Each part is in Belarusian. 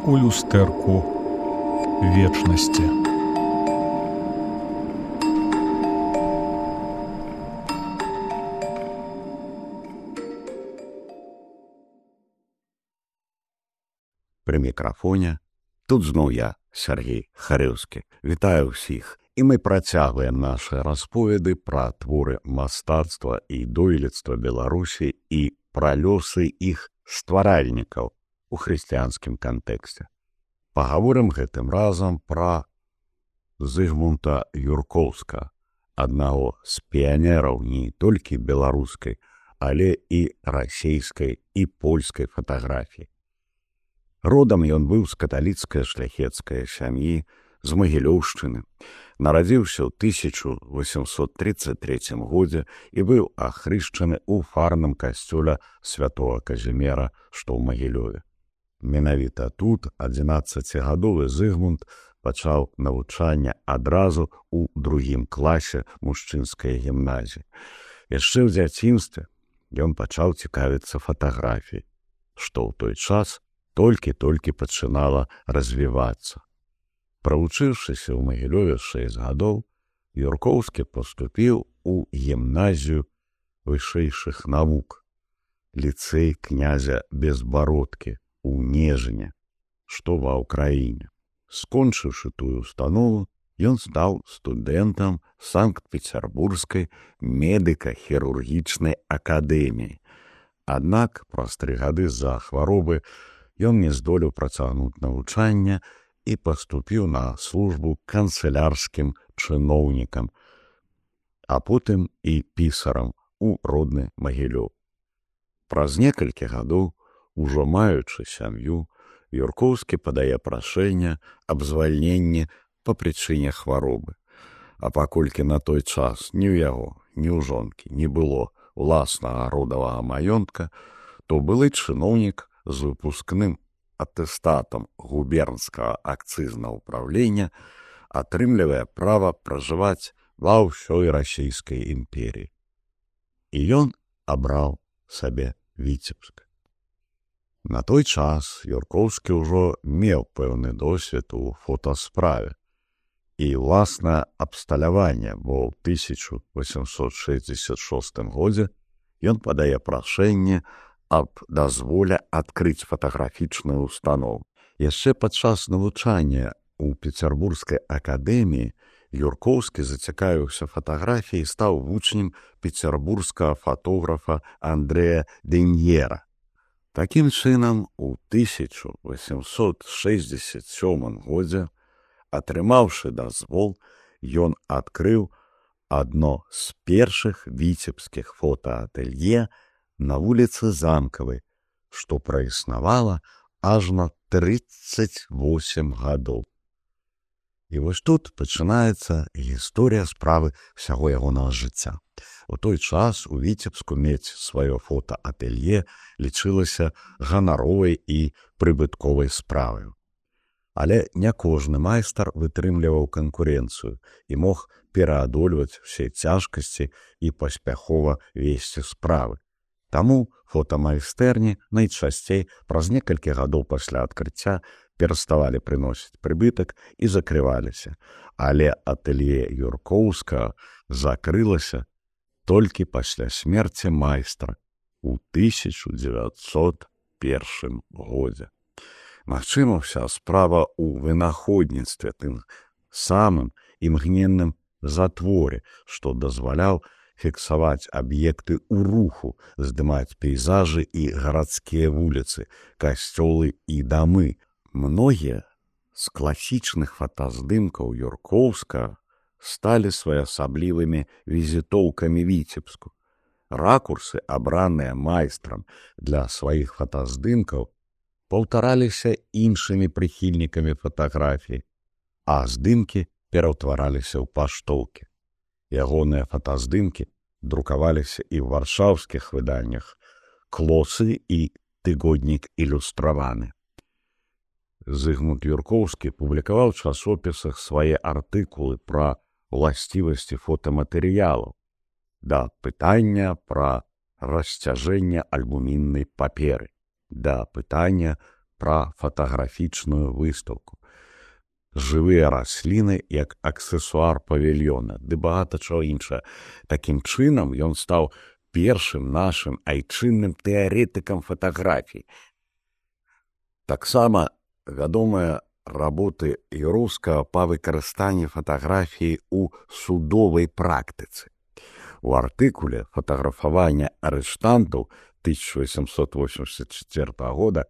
у люстэрку вечнасці. Пры мікрафоне тут зноў я, Сергей Харыўскі. Вітаю ўсіх. І мы працягваем нашы расповеды пра творы мастацтва і дойлідства Беларусі і пра лёсы іх стваральнікаў у хрысціянскім кантэксце. Пагаворым гэтым разам пра Зыгмунта Юркоўска, аднаго з піянераў не толькі беларускай, але і расейскай і польскай фатаграфіі. Родам ён быў з каталіцкай шляхецкай сям'і з Магілёўшчыны. Нарадзіўся ў 1833 годзе і быў ахрышчаны ў фарным касцёле святого Казімера, што ў Магілёве. Менавіта тут 11гадовы Зыгмунд пачаў навучанне адразу ў другім класе мужчынскай гімназіі. Яшчэ ў дзяцінстве ён пачаў цікавіцца фатаграфіяй, што ў той час толькі-толькі пачынала развівацца. Правучыўшыся ў Магілёве 6 гадоў, Юркоўскі паступіў у гімназію вышэйшых навук, ліцэй князя Безбародкі ў Нежыне, што ва ўкраіне. Скончыўшы тую установу, ён стаў студэнтам Санкт-Пецярбургскай медыка-хірургічнай акадэміі. Аднак праз 3 гады з-за хваробы ён не здолеў працягнуць навучанне і паступіў на службу канцылярскім чыноўнікам, а потым і пісарам у родны Магілёў. Праз некалькі гадоў, ужо маючы сям'ю, Юркоўскі падае прашэнне аб звальненні па прычыне хваробы. А паколькі на той час ні ў яго, ні ў жонкі не было уласнага родавага маёнтка, то былы чыноўнік з выпускным атэстатам губернскага акцызнага ўправлення атрымлівае права пражываць ва ўсёй расійскай імперіі. І ён абраў сабе Віцебск. На той час Юркоўскі ўжо меў пэўны досвед у фотасправе і ўласнае абсталяванне, бо ў 1866 годзе ён падае прашэнне аб дазволе адкрыць фатаграфічную установу. Яшчэ падчас навучання у Пецярбургскай акадэміі Юркоўскі зацікавіўся фатаграфіяй і стаў вучнем пецярбургскага фотографа Андрэя Деньера. Такім чынам, у 1867 годзе, атрымаўшы дазвол, ён адкрыў адно з першых віцебскіх фотаатэлье на вуліцы Замкавай, што праіснавала ажно 38 гадоў. І вось тут пачынаецца гісторыя справы ўсяго ягонага жыцця. У той час у Віцебску мець сваё фотаатэлье лічылася ганаровай і прыбытковай справай. Але не кожны майстар вытрымліваў канкурэнцыю і мог пераадольваць усе цяжкасці і паспяхова весці справы. Таму фотамайстэрні найчасцей праз некалькі гадоў пасля адкрыцця пераставалі прыносіць прыбытак і закрываліся, але атэлье Юркоўскага закрылася толькі пасля смерці майстра ў 1901 годзе. Магчыма, ўся справа ў вынаходніцтве, тым самым імгненным затворе, што дазваляў фіксаваць аб'екты ў руху, здымаць пейзажы і гарадскія вуліцы, касцёлы і дамы. Многія з класічных фотаздымкаў Юркоўскага сталі своеасаблівымі візітоўкамі Віцебску. Ракурсы, абраныя майстрам для сваіх фотаздымкаў, паўтараліся іншымі прыхільнікамі фатаграфіі, а здымкі пераўтвараліся ў паштоўкі. Ягоныя фотаздымкі друкаваліся і ў варшаўскіх выданнях «Клосы» і «Тыгоднік ілюстраваны». Зыгмунд Юркоўскі публікаваў у часопісах свае артыкулы пра уласцівасці фотаматэрыялаў, да пытання пра расцяжэнне альбуміннай паперы, да пытання пра фатаграфічную выстаўку. Жывыя расліны як аксесуар павільёна, ды багата чаго іншае. Такім чынам ён стаў першым нашым айчынным тэарэтыкам фатаграфій. Таксама вядомыя работы Юроўскага па выкарыстанні фатаграфіі ў судовай практыцы. У артыкуле «Фатаграфаванне арыштантаў» 1884 года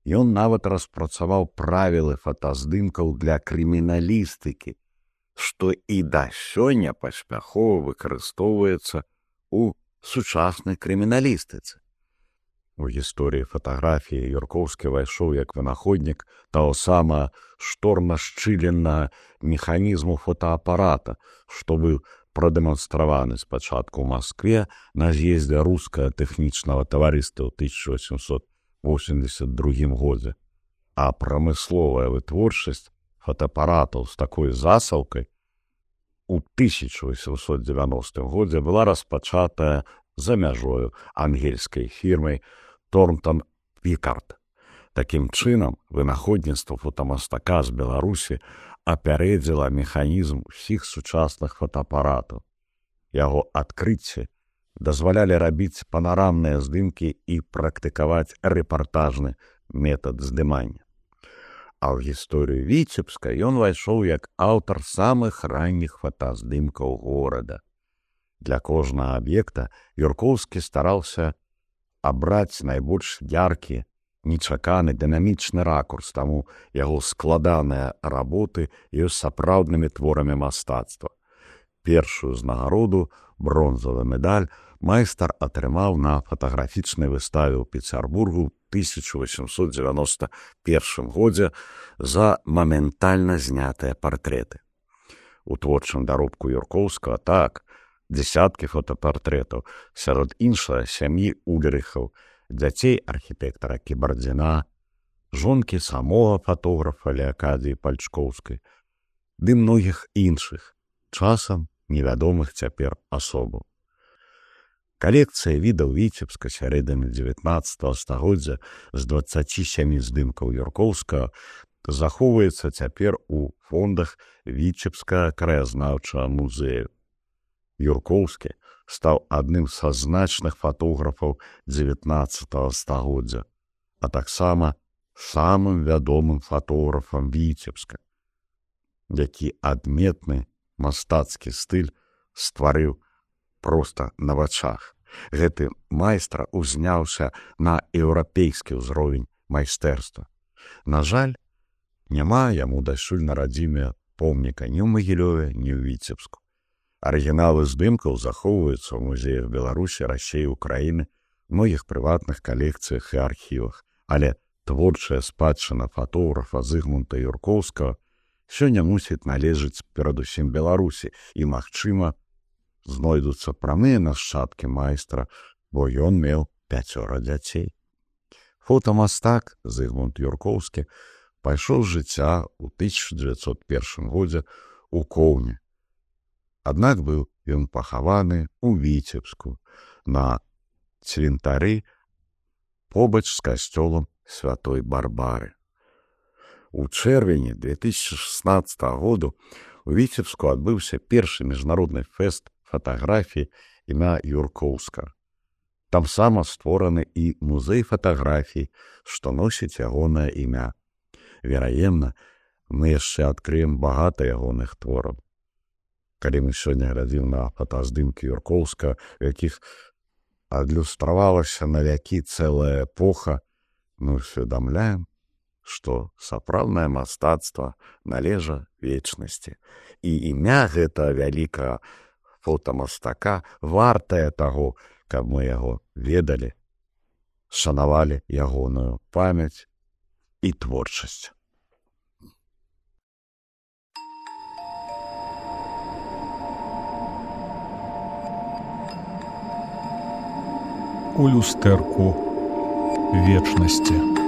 ён нават распрацаваў правілы фотаздымкаў для крыміналістыкі, што і да сёння паспяхова выкарыстоўваецца ў сучаснай крыміналістыцы. У гісторыі фатаграфіі Юркоўскі вайшоў як вынаходнік таго самага шторна-шчыленнага механізму фотоапарата, што быў прадэманстраваны спачатку ў Маскве на з'ездзе рускага тэхнічнага таварыства ў 1882 годзе. А прамысловая вытворчасць фотоапаратаў з такой засаўкай у 1890 годзе была распачатая за мяжою ангельскай фірмай Торнтон Пікард. Такім чынам, вынаходніцтва фотамастака з Беларусі апярэдзіла механізм усіх сучасных фотоапаратаў. Яго адкрыцці дазвалялі рабіць панарамныя здымкі і практыкаваць рэпартажны метад здымання. А ў гісторыю Віцебска ён вайшоў як аўтар самых ранніх фотаздымкаў горада. Для кожнага аб'екта Юркоўскі стараўся абраць найбольш яркі, нечаканы дынамічны ракурс, таму яго складаныя работы ёсць сапраўднымі творамі мастацтва. Першую знагароду, бронзавы медаль, майстар атрымаў на фатаграфічнай выставе ў Пецярбургу ў 1891 годзе за моментальна знятыя партрэты. У творчым даробку Юркоўскага так, дзесяткі фотапартрэтаў, сярод іншага сям'і Ульрыхаў, дзяцей архітэктара Кібардзіна, жонкі самога фатографа Леакадзіі Пальчкоўскай, ды многіх іншых, часам невядомых цяпер асобаў. Калекцыя відаў Віцебска сярэдзіны 19 стагоддзя з 27 здымкаў Юркоўскага захоўваецца цяпер у фондах Віцебскага краязнаўчага музею. Юркоўскі стаў адным са значных фотографаў 19 стагоддзя, а таксама самым вядомым фотографам Віцебска, які адметны мастацкі стыль стварыў проста на вачах. Гэты майстра узняўся на еўрапейскі ўзровень майстэрства. На жаль, няма яму дасюль на радзіме помніка ні ў Магілёве, ні ў Віцебску. Арыгіналы здымкаў захоўваюцца ў музеях Беларусі, Расіі, Украіны, многіх прыватных калекцыях і архівах, але творчая спадчына фотографа Зыгмунта Юркоўскага сёння мусіць належыць перадусім Беларусі і, магчыма, знойдуцца прамыя нашчадкі майстра, бо ён меў 5 дзяцей. Фотамастак Зыгмунд Юркоўскі пайшоў з жыцця ў 1901 годзе ў Коўні. Аднак быў ён пахаваны ў Віцебску на цвінтары побач з касцёлам Святой Барбары. У чэрвені 2016 году у Віцебску адбыўся першы міжнародны фэст фатаграфіі імя Юркоўскага. Там сама створаны і музей фатаграфій, што носіць ягонае імя. Вераемна, мы яшчэ адкрыем багата ягоных твораў. Калі мы сёння глядзім на фотаздымкі Юркоўскага, у якіх адлюстравалася на вякі цэлая эпоха, мы усведамляем, што сапраўднае мастацтва належа вечнасці. І імя гэтага вялікага фотамастака вартае таго, каб мы яго ведалі, шанавалі ягоную памяць і творчасць. У люстэрку вечнасці.